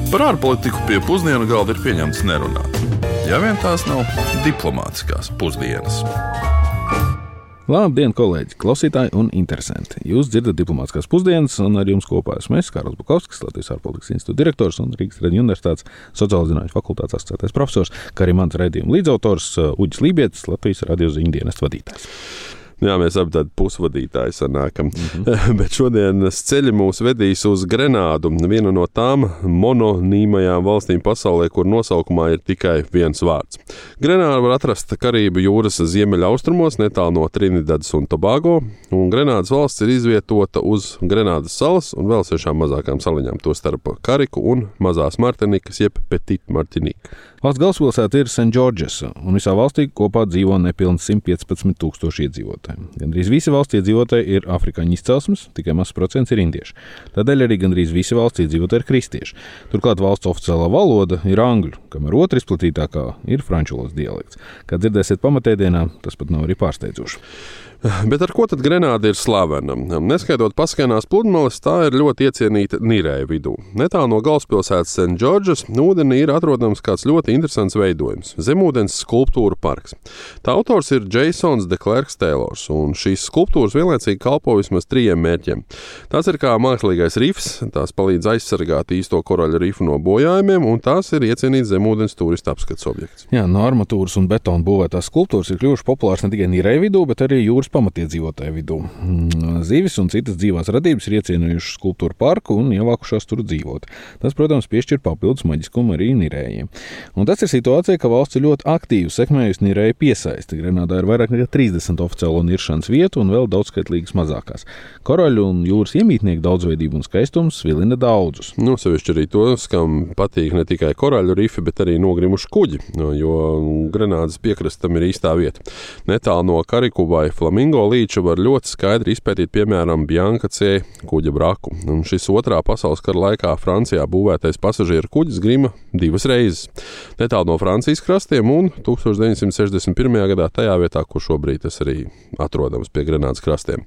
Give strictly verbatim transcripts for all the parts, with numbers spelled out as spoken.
Par ārpolitiku pie pusdienu galda ir pieņemts nerunāt. Ja vien tās nav diplomātiskās pusdienas. Labdien, kolēģi, klausītāji un interesanti. Jūs dzirdat diplomātiskās pusdienas, un ar jums kopā esmu es, Kārlis Bukovskis, Latvijas ārpolitikas institūta direktors un Rīgas Traģiņu universitātes sociālo zinātņu fakultātes asociētais profesors, kā arī mans raidījuma līdzautors Uģis Lībietis, Latvijas radio ziņu dienesta vadītājs. Jā, mēs abi tādi pusvadītāji sanākam. Mm-hmm. Bet šodienas ceļi mūs vedīs uz Grenādu, vienu no tām mononīmajām valstīm pasaulē, kur nosaukumā ir tikai viens vārds. Grenādu var atrast Karību jūras ziemeļaustrumos, netālu no Trinidadas un Tobago, un Grenādas valsts ir izvietota uz Grenādas salas un vēl sešām mazākām saliņām, to starp Kariku un Mazās Martinikas, jeb Petit Martinique. Valsts galvaspilsēta ir Saint Georges, un visā valstī kopā dzīvo nepilni simt piecpadsmit tūkstoši iedzīvotāji. Gandrīz visi valsts iedzīvotāji ir afrikāņu izcelsmes, tikai mazs procents ir indieši. Tādēļ arī gandrīz visi valsts iedzīvotāji ir kristieši. Turklāt valsts oficiālā valoda ir angļu, kamēr otra izplatītākā ir franču valodas dialekts. Kā dzirdēsiet pamatēdienā, tas pat nav arī pārsteidzoši. Bet ar ko tad Grenāda ir slavena? Neskaitot paskainās pludmales, tā ir ļoti iecienīta nirēju vidū. Netālu no galvaspilsētas Saint Georges ūdenī ir atrodams kāds ļoti interesants veidojums – zemūdens skulptūra parks. Tā autors ir Jasons de Klerks Taylors, un šīs skulptūras vienlaicīgi kalpo vismaz trījiem mērķiem. Tās ir kā mākslīgais rifs, tās palīdz aizsargāt īsto koraļu rifu no bojājumiem, un tās ir iecienīts zemūdens turistu apskats objekts. Jā, no armatūras un betona būvētās skulptūras ir kļuvušas populāras ne tikai nirēju vidū, bet arī jūras pamatiedzīvotāju vidū. Zivis un citas dzīvās radības ir iecienījušas skulptūru parku un ievākušās tur dzīvot. Tas, protams, piešķir papildus maģiskumu arī nirējiem. Un tas ir situācija, ka valsts ir ļoti aktīvi sekmējusi nirēju piesaisti. Grenādā ir vairāk nekā trīsdesmit oficiālo niršanas vietu un vēl daudzskaitlīgas mazākās. Koraļu un jūras iemītnieku daudzveidību un skaistums svilina daudzus. Nu, sevišķi arī tos, kam patīk ne tikai koraļu rifi, bet arī nogrimuši kuģi, jo Grenādas piekrastam ir īstā vieta. Netālu no Kariku vai Flamingo līča var ļoti skaidri izpētīt, piemēram, Bianca C. kuģa braku. Un šis otrā pasaules kara laikā Francijā būvētais pasažieru kuģis grima divas reizes. Netālu no Francijas krastiem un tūkstoš deviņsimt sešdesmit pirmajā gadā tajā vietā, kur šobrīd tas arī atrodams pie Grenādas krastiem.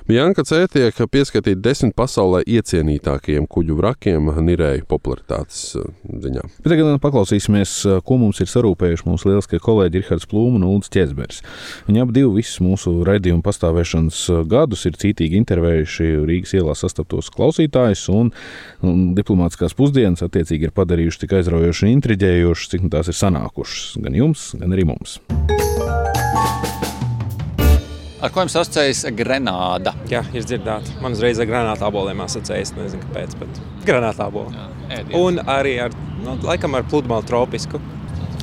Bianca C. tiek pieskatīti desmit pasaulē iecienītākajiem kuģu vrakiem nirēju popularitātes ziņā. Bet tagad paklausīsimies, ko mums ir sarūpējuši mūsu lieliskie kolēģi Rihards Plūma un Uldis Ķezberis. Viņi abi divi visus mūsu raidījumu pastāvēšanas gadus ir cītīgi intervējuši Rīgas ielās sastaptos klausītājus, un, un diplomātiskās pusdienas attiecīgi ir padarījuši tik aizraujoši un intriģējoši, cik tās ir sanākušas gan jums, gan arī mums. Ar ko jums asociējas Grenāda? Jā, ir dzirdēta. Man uzreiz ar granātāboliem asociējas, nezinu kāpēc, bet granātāboli. Un arī ar, nu, laikam ar pludmali tropisku.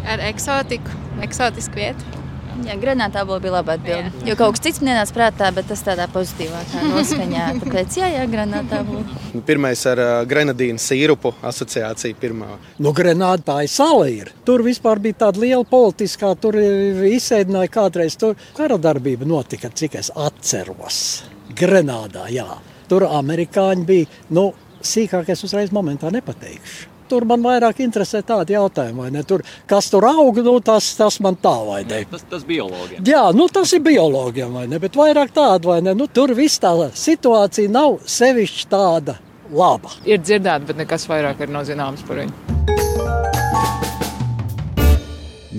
Ar eksotiku, eksotisku vietu. Jā, granātāboli bija labā atbilde. Jo kaut kas cits man ienāca prātā, bet tas tādā pozitīvākā noskaņā. Tāpēc jā, jā, granātāboli. Pirmais ar uh, grenadīnu sīrupu asociācija pirmā. Nu, Grenāda tā ir sala ir. Tur vispār bija tāda liela politiskā, tur izsēdināja kādreiz. Tur kara darbība notika, cik es atceros. Grenādā, jā. Tur amerikāņi bija, nu, sīkāk es uzreiz momentā nepateikšu. Tur man vairāk interesē tādi jautājumi, vai ne? Tur, kas tur aug, nu, tas, tas man tā, vai ne? Tas, tas biologiem. Jā, nu, tas ir biologiem, vai ne? Bet vairāk tāda, vai ne? Nu, tur viss tā situācija nav sevišķi tāda laba. Ir dzirdēta, bet nekas vairāk ir nav zināms par viņu.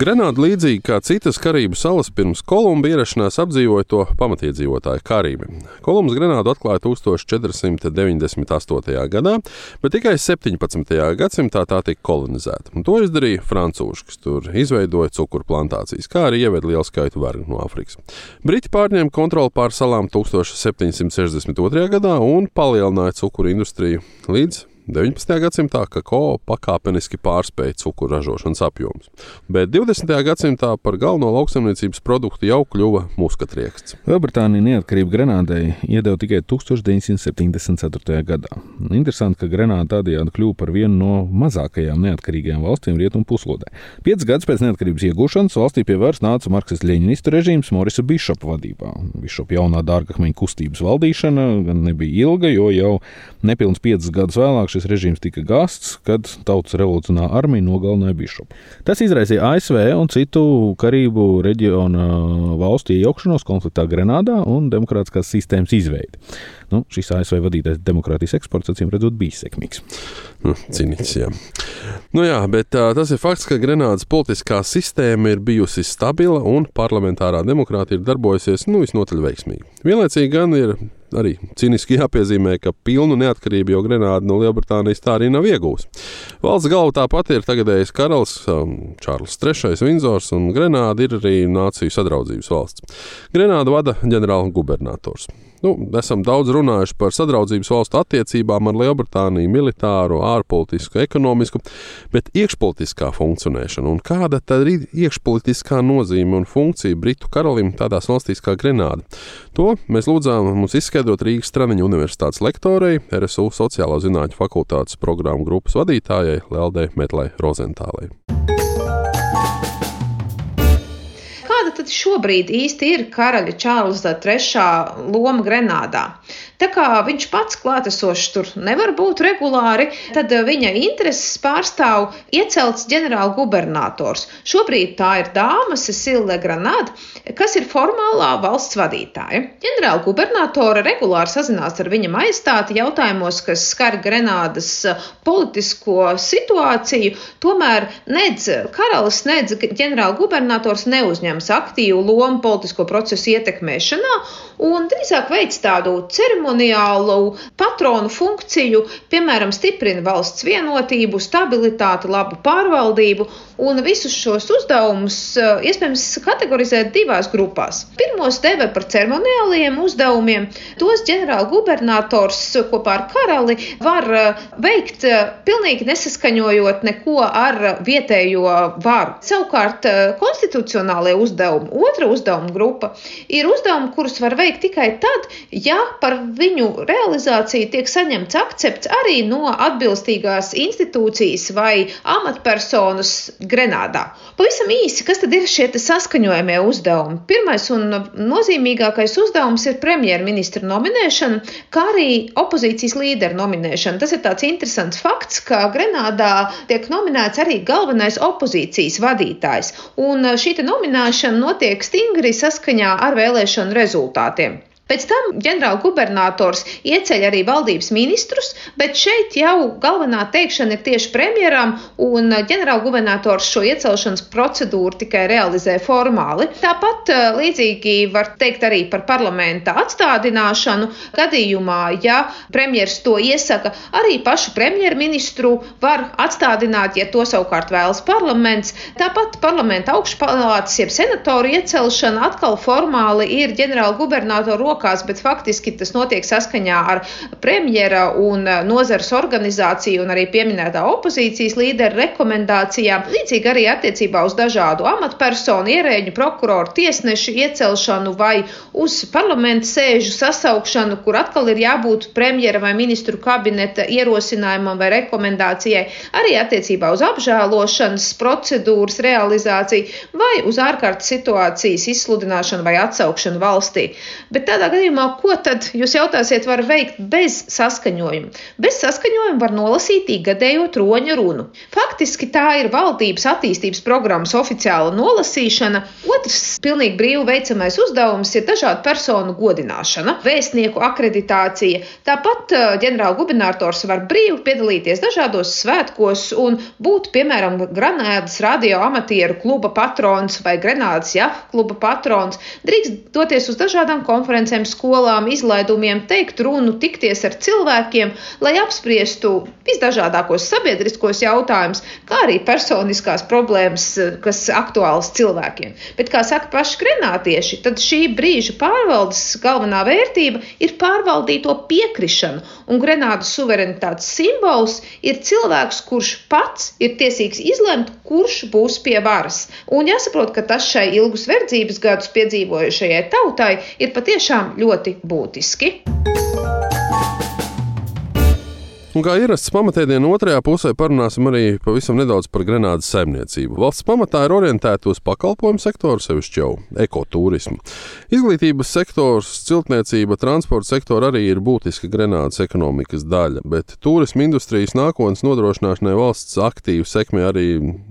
Grenāda līdzīgi kā citas Karību salas pirms Kolumba ierašanās apdzīvoja to pamatiedzīvotāju Karībi. Kolumbs Grenādu atklāja tūkstoš četri simti deviņdesmit astotajā gadā, bet tikai septiņpadsmitajā gadsimtā tā tika kolonizēta. Un to izdarīja francūži, kas tur izveidoja cukuru plantācijas, kā arī ieveda lielu skaitu vergu no Afrikas. Briti pārņēma kontroli pār salām tūkstoš septiņsimt sešdesmit otrajā gadā un palielināja cukuru industriju līdz deviņpadsmitajā gadsimtā kakao pakāpeniski pārspēja cukuru ražošanas apjomus, bet divdesmitajā gadsimtā par galveno lauksaimniecības produktu jau kļuva muskatrieksts. Lielbritānija neatkarību Grenādai iedeva tikai tūkstoš deviņsimt septiņdesmit ceturtajā gadā. Interesanti, ka Grenāda tādējādi kļuva par vienu no mazākajām neatkarīgajām valstīm Rietumu puslodē. Piecus gadus pēc neatkarības iegūšanas valstī pie varas nāca marksistu-ļeņinistu režīms Morisa Bišopa vadībā. Bišopa jaunā dārgakmeņa kustības valdīšana gan nebija ilga, jo jau nepilns piecus gadus vēlāk šis režīms tika gāsts, kad Tautas revolucionārā armija nogalināja bišopu. Tas izraisīja A S V un citu Karību reģiona valstu iejaukšanos konfliktā Grenādā un demokrātiskās sistēmas izveidi. Nu, šis A S V vadītais demokrātijas eksports, acīm redzot, bija sekmīgs. Nu, cīnīts, jā. Nu jā, bet tā, tas ir fakts, ka Grenādas politiskā sistēma ir bijusi stabila un parlamentārā demokrātija ir darbojusies, nu, visnotaļ veiksmīgi. Vienlaicīgi gan ir arī cīniski jāpiezīmē, ka pilnu neatkarību jau Grenāda no Lielbritānijas tā arī nav iegūs. Valsts galva tāpat ir tagadējais karalis Čārls trešais Vindzors, un Grenāda ir arī nāciju sadraudzības valsts. Grenādu vada ģenerāla gubernators. Nu, esam daudz runājuši par sadraudzības valstu attiecībām ar Lielbritāniju, militāru, ārpolitisku, ekonomisku, bet iekšpolitiskā funkcionēšana un kāda tad ir iekšpolitiskā nozīme un funkcija Britu karalim tādās valstīs kā Grenāda. To mēs lūdzām mums izskaidrot Rīgas Stradiņu universitātes lektorei, R S U sociālo zinātņu fakultātes programmu grupas vadītājai Leldei Metlai Rozentālei. Kāda tad šobrīd īsti ir karaļa Čārlza trešā loma Grenādā? Tā kā viņš pats klātesošs tur nevar būt regulāri, tad viņa intereses pārstāv iecelts ģenerāla gubernators. Šobrīd tā ir dāma Cecile Legranade, kas ir formālā valsts vadītāja. Ģenerāla gubernatora regulāri sazinās ar viņa majestāti jautājumos, kas skar Grenādas politisko situāciju, tomēr nedz karalis, nedz ģenerāla gubernators neuzņems aktīvu lomu politisko procesu ietekmēšanā un drīzāk veic tādu ceremoniālu patronu funkciju, piemēram, stiprina valsts vienotību, stabilitāti, labu pārvaldību, un visus šos uzdevumus iespējams kategorizēt divās grupās. Pirmos deva par ceremoniālajiem uzdevumiem, tos ģenerāla gubernators kopā ar karali var veikt pilnīgi nesaskaņojot neko ar vietējo varu. Savukārt konstitucionālie uzdevumi, otra uzdevuma grupa, ir uzdevumi, kurus var veikt tikai tad, ja par viņu realizāciju tiek saņemts akcepts arī no atbilstīgās institūcijas vai amatpersonas Grenādā. Pavisam īsi, kas tad ir šie saskaņojamie uzdevumi? Pirmais un nozīmīgākais uzdevums ir premjerministra nominēšana, kā arī opozīcijas līderu nominēšana. Tas ir tāds interesants fakts, ka Grenādā tiek nominēts arī galvenais opozīcijas vadītājs, un šī nominēšana notiek stingri saskaņā ar vēlēšanu rezultātiem. Pēc tam ģenerāla gubernators ieceļ arī valdības ministrus, bet šeit jau galvenā teikšana ir tieši premjeram, un ģenerāla gubernators šo iecelšanas procedūru tikai realizē formāli. Tāpat līdzīgi var teikt arī par parlamenta atstādināšanu. Gadījumā, ja premjers to iesaka, arī pašu premjerministru var atstādināt, ja to savukārt vēlas parlaments. Tāpat parlamenta augšpalātas, jeb senatoru iecelšana atkal formāli ir ģenerāla gubernatora rokās, bet faktiski tas notiek saskaņā ar premjera un nozares organizāciju un arī pieminētā opozīcijas līderu rekomendācijām. Līdzīgi arī attiecībā uz dažādu amatpersonu, ierēģu, prokuroru, tiesnešu iecelšanu vai uz parlamenta sēžu sasaukšanu, kur atkal ir jābūt premjera vai ministru kabineta ierosinājumam vai rekomendācijai, arī attiecībā uz apžēlošanas procedūras realizāciju vai uz ārkārtas situācijas izsludināšanu vai atsaukšanu valstī. Bet tādā gadījumā, ko tad, jūs jautāsiet, var veikt bez saskaņojuma? Bez saskaņojuma var nolasīt ikgadējo troņa runu. Faktiski tā ir valdības attīstības programmas oficiāla nolasīšana. Otrs pilnīgi brīvi veicamais uzdevums ir dažādu personu godināšana, vēstnieku akreditācija. Tāpat ģenerāla gubernators var brīvi piedalīties dažādos svētkos un būt, piemēram, Grenādas radio amatieru kluba patrons vai Grenādas jahu kluba patrons. Drīkst doties uz dažādām konferencēm, skolām, izlaidumiem, teikt runu, tikties ar cilvēkiem, lai apspriestu visdažādākos sabiedriskos jautājumus, kā arī personiskās problēmas, kas aktuālas cilvēkiem. Bet, kā saka paši grenādieši, tad šī brīža pārvaldes galvenā vērtība ir pārvaldīto piekrišanu, un Grenādas suverenitātes simbols ir cilvēks, kurš pats ir tiesīgs izlemt, kurš būs pie varas. Un jāsaprot, ka tas šai ilgus verdzības gadus piedzīvojušajai tautai ir patiešām ļoti būtiski. Un kā ierasts pamatēdienu otrajā pusē parunāsim arī pavisam nedaudz par Grenādas saimniecību. Valsts pamatā ir orientēta uz pakalpojumu sektoru, sevišķi jau ekoturismu. Izglītības sektors, ciltniecība, transporta sektora arī ir būtiska Grenādas ekonomikas daļa, bet turisma industrijas nākotnes nodrošināšanai valsts aktīvi sekmē arī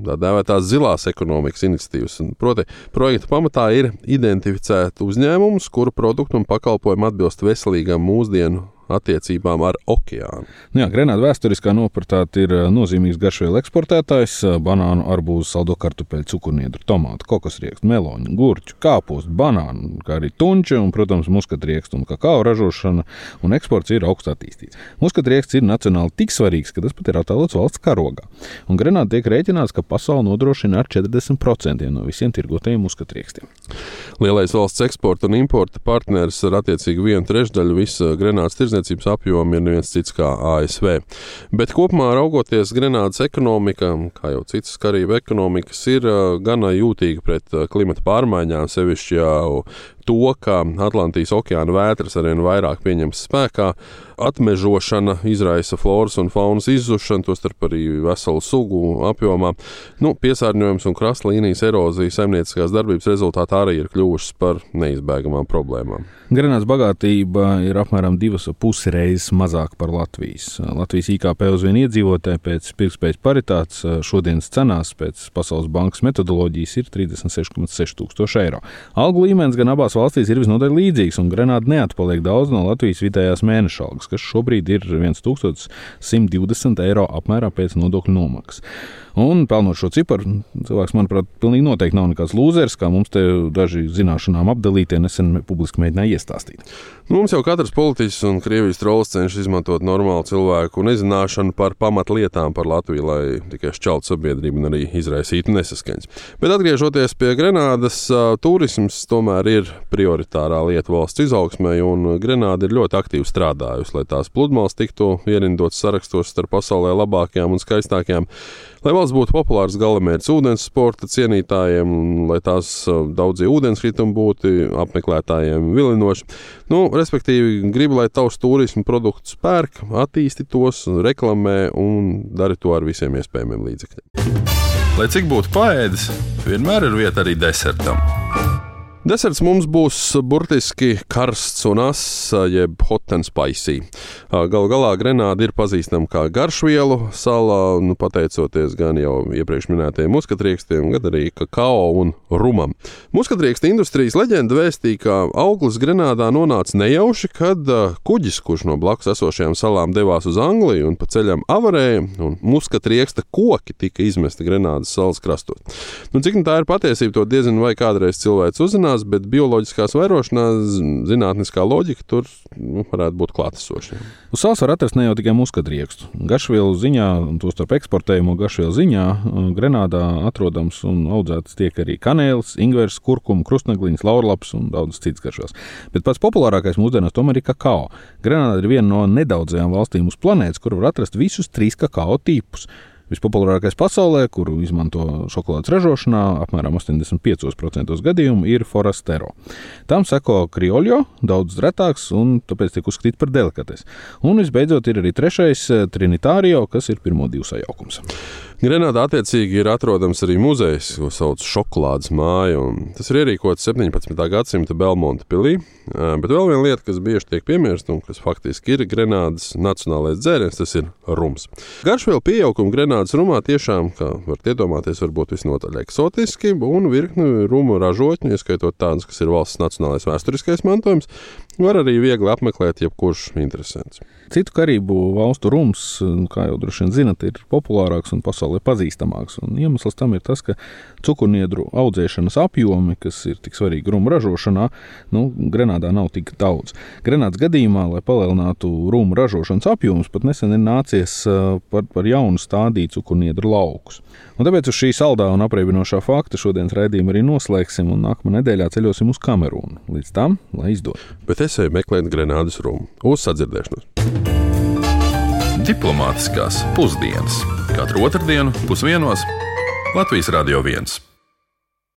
tā dēvētās zilās ekonomikas iniciatīvas. Proti, projekta pamatā ir identificēt uzņēmumus, kuru produktu un pakalpojumu atbilst veselīgām mūsdienu attiecībām ar okeānu. Jā, Grenāda vēsturiskā nopratāte ir nozīmīgs garšvielu eksportētājs, banānu, arbūzu, saldo kartupeļu, cukurniedru, tomātu, kokosriekstu, meloņu, gurķu, kāpostu, banānu, kā arī tunči un, protams, muskatriekstu un kakao ražošana un eksports ir augstu attīstīts. Muskatrieksts ir nacionāli tik svarīgs, ka tas pat ir attēlots valsts karogā. Un Grenāda tiek rēķināts, ka pasauli nodrošina ar četrdesmit procentiem no visiem tirgotajiem muskatriekstiem. Lielais valsts eksporta un importa partneris ar attiecīgi vienu trešdaļu visa Grenādas tirdzniecības apjoma ir neviens cits kā A S V. Bet kopumā raugoties Grenādas ekonomika, kā jau citas karību ekonomikas, ir gana jūtīga pret klimata pārmaiņām, sevišķi jau to, ka Atlantijas okeāna vētras arvien vairāk pieņems spēkā, atmežošana izraisa floras un faunas izzušanu, tostarp arī veselu sugu apjomā. Nu, piesārņojums un krastlīnijas erozija saimnieciskās darbības rezultātā arī ir kļuvušas par neizbēgamām problēmām. Grenādas bagātība ir apmēram divas pusi reizes mazāk par Latvijas. Latvijas I K P uz vienu iedzīvotāju pēc pirktspējas paritātes šodienas cenās pēc Pasaules bankas metodoloģijas ir trīsdesmit seši komats seši tūkstoši eiro. Algu līmenis gan abās valstīs ir visnotaļ līdzīgs, un Grenāda neatpaliek daudz no Latvijas vidējās mēneša algas, kas šobrīd ir viens tūkstoš simt divdesmit eiro apmērā pēc nodokļu nomaksas. Un pelnot šo ciparu, cilvēks, manuprāt, pilnīgi noteikti nav nekāds lūzers, kā mums te daži zināšanām apdalītie nesen publiski mēģināja iestāstīt. Mums jau katrs politiķis un Krievijas trolls cenšas izmantot normālu cilvēku nezināšanu par pamatlietām par Latviju, lai tikai šķeltu sabiedrību un arī izraisītu nesaskaņas. Bet atgriežoties pie Grenādas, turisms tomēr ir prioritārā lieta valsts izaugsmē, un Grenāda ir ļoti aktīvi strādājusi, lai tās pludmales tiktu ierindotas sarakstos starp pasaulē labākajām un skaistākajām, lai valsts būtu populārs galamērķis ūdens sporta cienītājiem, lai tās daudzie ūdenskritumi būtu apmeklētājiem vilinoši. Nu, respektīvi, gribu, lai tavs turismu produktus pērk, attīsti tos, reklamē un dari to ar visiem iespējamiem līdzekļiem. Lai cik būtu paēdis, vienmēr ir vieta arī desertam. Deserts mums būs burtiski karsts un ass, jeb hot and spicy. Galu galā Grenāda ir pazīstama kā garšvielu sala, nu, pateicoties gan jau iepriekš minētajiem muskatriekstiem, gan arī kakao un rumam. Muskatrieksta industrijas leģenda vēstīja, ka auglis Grenādā nonāca nejauši, kad kuģis, kurš no blakus esošajām salām devās uz Angliju un pa ceļam avarēja, un muskatrieksta koki tika izmesti Grenādas salas krastos. Nu, cik tā ir patiesība, to diezin vai kādreiz cilvēks uzzinās, bet bioloģiskās vairošanās zinātniskā loģika tur nu, varētu būt klātesoša. Uz salas var atrast ne jau tikai muskatriekstu. Garšvielu ziņā, un to starp eksportējumu garšvielu ziņā, Grenādā atrodams un audzētas tiek arī kanēlis, ingvers, kurkuma, krustnegliņas, laurlaps un daudz cits garšās. Bet pats populārākais mūsdienās tomēr ir kakao. Grenāda ir viena no nedaudzajām valstīm uz planētas, kur var atrast visus trīs kakao tipus. Vispopulārākais pasaulē, kuru izmanto šokolādes ražošanā, apmēram astoņdesmit piecos procentos gadījumu, ir Forastero. Tam seko Criollo, daudz retāks un tāpēc tiek uzskatīts par delikatesi. Un visbeidzot ir arī trešais Trinitario, kas ir pirmo divu sajaukums. Grenādā attiecīgi ir atrodams arī muzejs, ko sauc Šokolādes māja, un tas ir ierīkots septiņpadsmitā gadsimta Belmonta pilī. Bet vēl viena lieta, kas bieži tiek piemirsta un kas faktiski ir Grenādas nacionālais dzēriens, tas ir rums. Garšvielu pieauguma Grenādas rumā tiešām, kā varat iedomāties, var būt visnotaļ eksotiski, un virkni rumu ražotņu, ieskaitot tādus, kas ir valsts nacionālais vēsturiskais mantojums, var arī viegli apmeklēt jebkurš interesants. Citu karību valstu rums, kā jau droši vien zinat, ir populārāks un pasaulē pazīstamāks. Un iemesls tam ir tas, ka cukurniedru audzēšanas apjomi, kas ir tik svarīgi rumu ražošanā, nu, Grenādā nav tik daudz. Grenādas gadījumā, lai palielinātu rumu ražošanas apjomus, pat nesen ir nācies par, par jaunu stādīt cukurniedru laukus. Un tāpēc uz šī saldā un apreibinošā fakta šodienas raidījumu arī noslēgsim un nākamā nedēļā ceļosim uz Kamerūnu. Līdz tam, lai izdod. Bet es eju meklēt Grenādas rumu. Uz sadzirdēšanos! Diplomātiskās pusdienas. Katru otrdienu pusdienos Latvijas Radio viens.